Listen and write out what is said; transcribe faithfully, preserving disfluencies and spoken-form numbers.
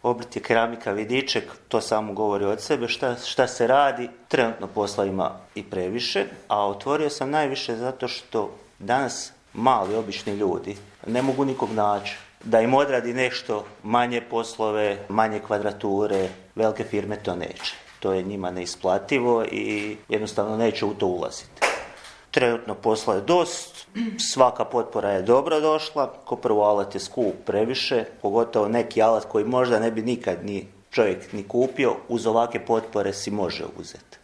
Obrt je keramika Vidiček, to samo govori od sebe. Šta, šta se radi? Trenutno posla ima i previše, a otvorio sam najviše zato što danas mali, obični ljudi ne mogu nikog naći da im odradi nešto manje poslove, manje kvadrature, velike firme to neće. To je njima neisplativo i jednostavno neće u to ulaziti. Trenutno posla je dost, svaka potpora je dobro došla, ko prvo alat je skup previše, pogotovo neki alat koji možda ne bi nikad ni čovjek ni kupio, uz ovakve potpore si može uzeti.